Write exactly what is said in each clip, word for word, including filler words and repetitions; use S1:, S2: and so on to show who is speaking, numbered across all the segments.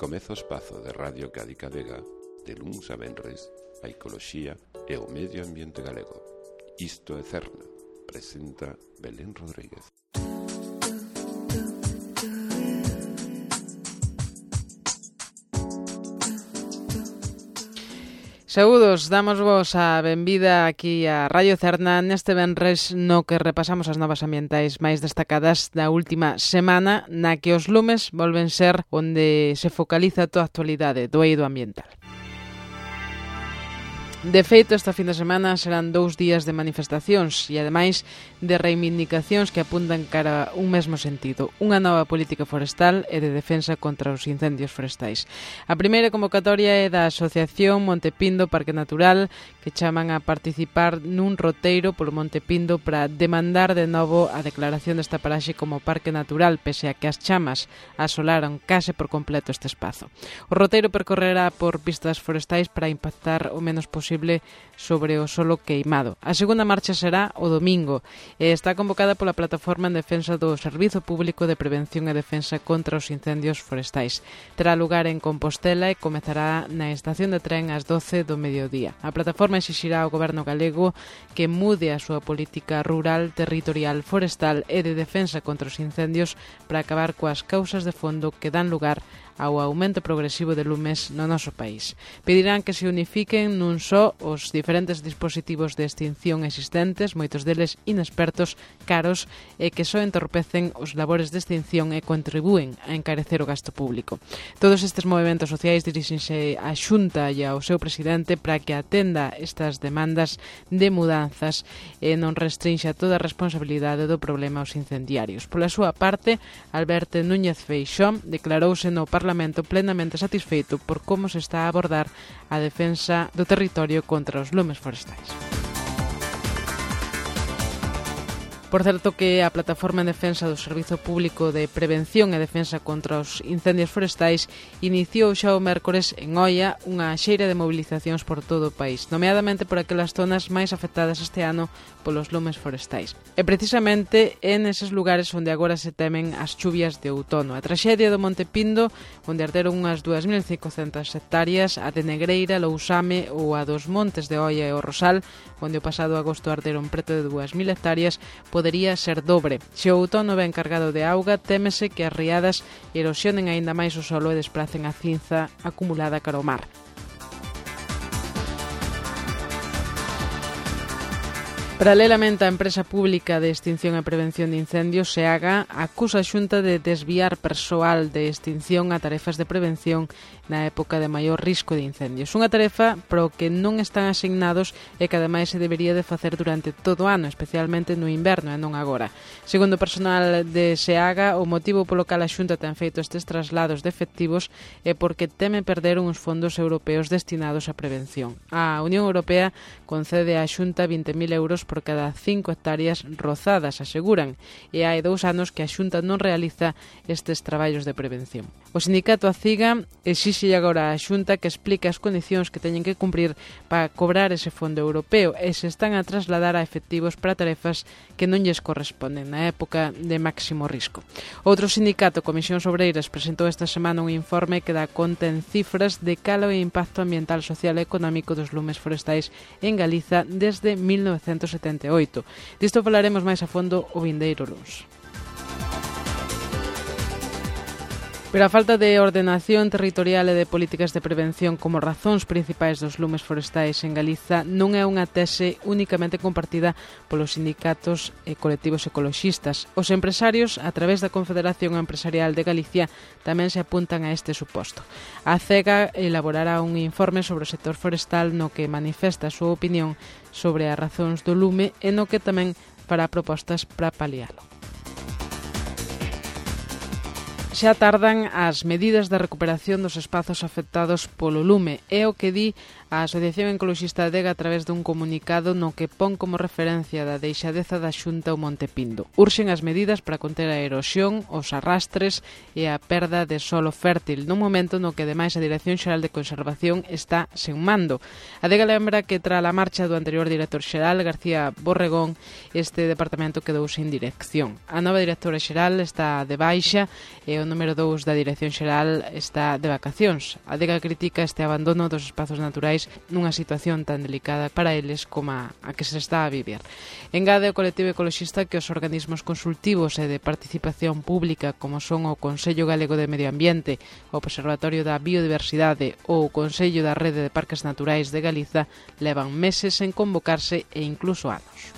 S1: Comeza o espazo de Radio Cádica Vega, de luns a venres, a ecoloxía e o medio ambiente galego. Isto é Cerna, presenta Belén Rodríguez.
S2: Saúdos, damos vos a benvida aquí a Radio Cerna neste venres no que repasamos as novas ambientais máis destacadas da última semana, na que os lumes volven ser onde se focaliza toda a actualidade do eido ambiental. De feito, esta fin de semana serán dous días de manifestacións e, ademais, de reivindicacións que apuntan cara a un mesmo sentido, unha nova política forestal e de defensa contra os incendios forestais. A primeira convocatoria é da Asociación Monte Pindo Parque Natural, que chaman a participar nun roteiro polo Monte Pindo para demandar de novo a declaración desta paraxe como parque natural, pese a que as chamas asolaron case por completo este espazo. O roteiro percorrerá por pistas forestais para impactar o menos posible sobre o solo queimado. A segunda marcha será o domingo e está convocada pola Plataforma en Defensa do Servizo Público de Prevención e Defensa contra os Incendios Forestais. Terá lugar en Compostela e comezará na estación de tren ás doce do mediodía. A plataforma exixirá ao Goberno galego que mude a súa política rural, territorial, forestal e de defensa contra os incendios para acabar coas causas de fondo que dan lugar ao aumento progresivo de lumes no noso país. Pedirán que se unifiquen nun só os diferentes dispositivos de extinción existentes, moitos deles inexpertos, caros e que só entorpecen os labores de extinción e contribúen a encarecer o gasto público. Todos estes movementos sociais dirixense á Xunta e ao seu presidente para que atenda estas demandas de mudanzas e non restrinxa toda a responsabilidade do problema aos incendiarios. Pola súa parte, Alberto Núñez Feixóo declarouse no Parlamento plenamente satisfeito por como se está a abordar a defensa do territorio contra os lumes forestais. Por certo que a Plataforma en Defensa do Servizo Público de Prevención e Defensa contra os Incendios Forestais iniciou xa o mércores en Oia unha xeira de mobilizacións por todo o país, nomeadamente por aquelas zonas máis afectadas este ano polos lumes forestais. E precisamente é neses lugares onde agora se temen as chuvias de outono. A traxedia do Monte Pindo, onde arderon unhas dúas mil cincocentas hectáreas, a de Negreira, Lousame ou a dos Montes de Oia e o Rosal, onde o pasado agosto arderon preto de dúas mil hectáreas, podería ser dobre. Se o outono ven cargado de auga, témese que as riadas erosionen aínda máis o solo e despracen a cinza acumulada cara ao mar. Paralelamente, a empresa pública de extinción e prevención de incendios, SEAGA, acusa a Xunta de desviar persoal de extinción a tarefas de prevención na época de maior risco de incendios. Unha tarefa para o que non están asignados e que ademais se debería de facer durante todo o ano, especialmente no inverno e non agora. Segundo o personal de SEAGA, o motivo polo cal a Xunta ten feito estes traslados de efectivos é porque teme perder uns fondos europeos destinados á prevención. A Unión Europea concede á Xunta vinte mil euros por cada cinco hectáreas rozadas, aseguran, e hai dous anos que a Xunta non realiza estes traballos de prevención. O sindicato ACIGA exixe agora á Xunta que explique as condicións que teñen que cumprir para cobrar ese fondo europeo e se están a trasladar a efectivos para tarefas que non lles corresponden na época de máximo risco. Outro sindicato, Comisións Obreiras, presentou esta semana un informe que dá conta en cifras de cal é o impacto ambiental, social e económico dos lumes forestais en Galiza desde mil novecentos setenta e oito. Disto falaremos máis a fondo o vindeiro luns. Pero a falta de ordenación territorial e de políticas de prevención como razóns principais dos lumes forestais en Galiza non é unha tese únicamente compartida polos sindicatos e colectivos ecoloxistas. Os empresarios, a través da Confederación Empresarial de Galicia, tamén se apuntan a este suposto. A CEGA elaborará un informe sobre o sector forestal no que manifesta a súa opinión sobre as razóns do lume e no que tamén fará propostas para palialo. Xa tardan as medidas de recuperación dos espazos afectados polo lume. É o que di a Asociación Ecoloxista Adega a través dun comunicado no que pon como referencia da deixadeza da Xunta o Monte Pindo. Urxen as medidas para conter a erosión, os arrastres e a perda de solo fértil, nun momento no que, ademais, a Dirección Xeral de Conservación está sen mando. Adega lembra que, tra a marcha do anterior director xeral, García Borregón, este departamento quedou sen dirección. A nova directora xeral está de baixa e o o número dous da Dirección Xeral está de vacacións. A Adega critica este abandono dos espazos naturais nunha situación tan delicada para eles como a, a que se está a vivir. Engade o colectivo ecoloxista que os organismos consultivos e de participación pública como son o Consello Galego de Medio Ambiente, o Observatorio da Biodiversidade ou o Consello da Rede de Parques Naturais de Galiza levan meses en convocarse e incluso anos.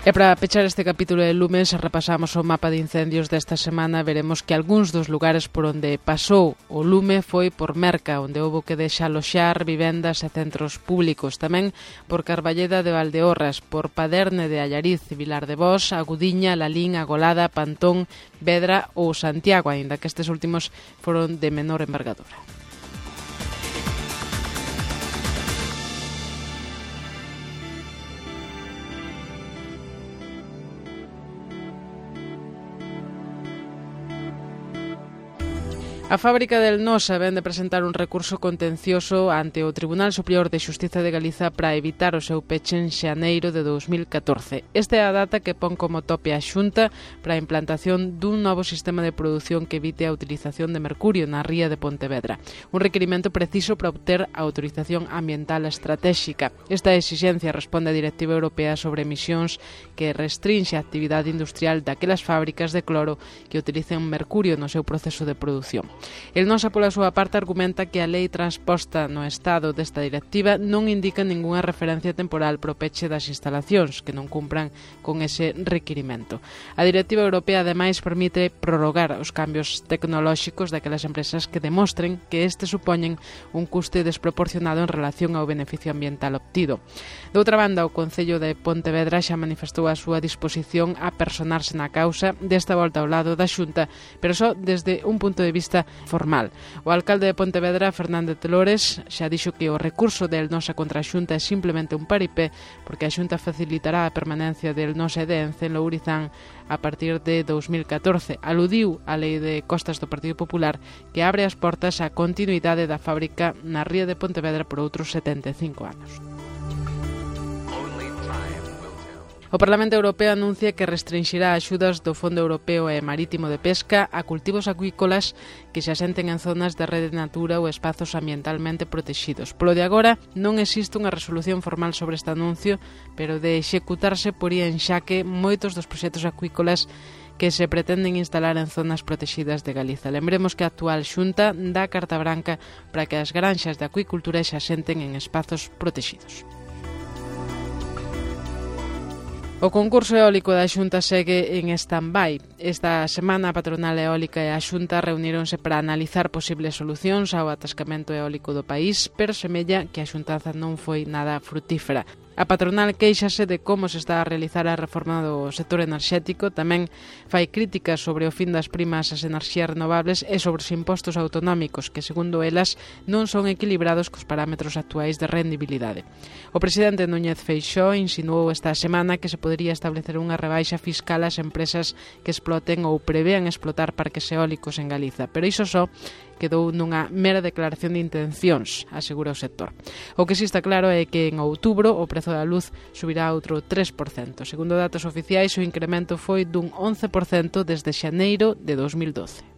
S2: E para pechar este capítulo de Lumen, se repasamos o mapa de incendios desta semana, veremos que algúns dos lugares por onde pasou o lume foi por Merca, onde houbo que desaloxar vivendas e centros públicos. Tamén por Carballeda de Valdeorras, por Paderne de Allariz, Vilar de Bos, Agudiña, Lalín, Agolada, Pantón, Vedra ou Santiago, aínda que estes últimos foron de menor envergadura. A fábrica del Nosa vén de presentar un recurso contencioso ante o Tribunal Superior de Xustiza de Galiza para evitar o seu peche en xaneiro de dous mil catorce. Esta é a data que pon como tope a Xunta para a implantación dun novo sistema de produción que evite a utilización de mercurio na ría de Pontevedra. Un requirimento preciso para obter a autorización ambiental estratégica. Esta exixencia responde á Directiva Europea sobre emisións que restrinxe a actividade industrial daquelas fábricas de cloro que utilicen mercurio no seu proceso de produción. El Nosa, pola súa parte, argumenta que a lei transposta no Estado desta directiva non indica ningunha referencia temporal pro peche das instalacións que non cumpran con ese requirimento. A directiva europea, ademais, permite prorrogar os cambios tecnolóxicos daquelas empresas que demostren que este supoñen un custe desproporcionado en relación ao beneficio ambiental obtido. De outra banda, o Concello de Pontevedra xa manifestou a súa disposición a personarse na causa desta volta ao lado da Xunta, pero só desde un punto de vista formal. O alcalde de Pontevedra, Fernández Lores, xa dixo que o recurso del Nosa contra a Xunta é simplemente un paripé porque a Xunta facilitará a permanencia del Nosa e de Ence en Lourizán a partir de dous mil catorce. Aludiu á lei de costas do Partido Popular que abre as portas á continuidade da fábrica na ría de Pontevedra por outros setenta e cinco anos. O Parlamento Europeo anuncia que restringirá axudas do Fondo Europeo e Marítimo de Pesca a cultivos acuícolas que se asenten en zonas de rede natura ou espazos ambientalmente protegidos. Polo de agora, non existe unha resolución formal sobre este anuncio, pero de executarse poría en xaque moitos dos proxectos acuícolas que se pretenden instalar en zonas protegidas de Galiza. Lembremos que a actual Xunta dá carta branca para que as granxas de acuicultura se asenten en espazos protegidos. O concurso eólico da Xunta segue en stand-by. Esta semana a patronal eólica e a Xunta reuníronse para analizar posibles solucións ao atascamento eólico do país, pero semella que a xuntanza non foi nada frutífera. A patronal queixase de como se está a realizar a reforma do sector enerxético, tamén fai críticas sobre o fin das primas ás enerxías renovables e sobre os impostos autonómicos, que, segundo elas, non son equilibrados cos parámetros actuais de rendibilidade. O presidente Núñez Feixóo insinuou esta semana que se podería establecer unha rebaixa fiscal ás empresas que exploten ou prevean explotar parques eólicos en Galiza, pero iso só quedou nunha mera declaración de intencións, asegura o sector. O que si está claro é que en outubro o prezo da luz subirá outro tres por cento. Segundo datos oficiais, o incremento foi dun once por cento desde xaneiro de dous mil doce.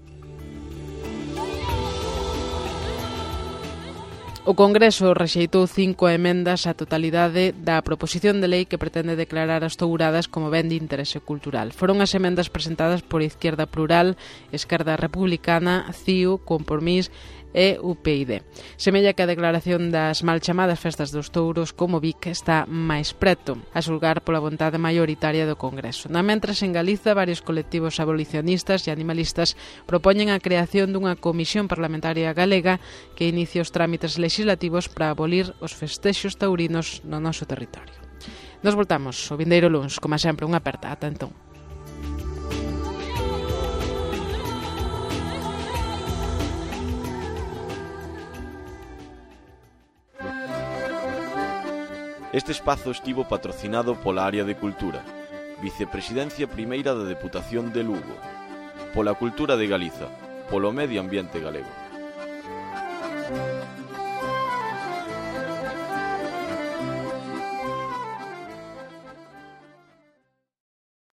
S2: O Congreso rexeitou cinco emendas á totalidade da proposición de lei que pretende declarar as touradas como ben de interese cultural. Foron as emendas presentadas por Izquierda Plural, Esquerda Republicana, C I U, Compromís e U P I D. Semella que a declaración das mal chamadas festas dos touros como Vic está máis preto, a xulgar pola vontade maioritaria do Congreso. Na mentres, en Galiza, varios colectivos abolicionistas e animalistas propoñen a creación dunha comisión parlamentaria galega que inicie os trámites legislativos para abolir os festexos taurinos no noso territorio. Nos voltamos o vindeiro luns, como sempre, unha aperta. Ata entón.
S3: Este espazo estivo patrocinado pola Área de Cultura, Vicepresidencia Primeira da Deputación de Lugo, pola Cultura de Galiza, polo Medio Ambiente Galego.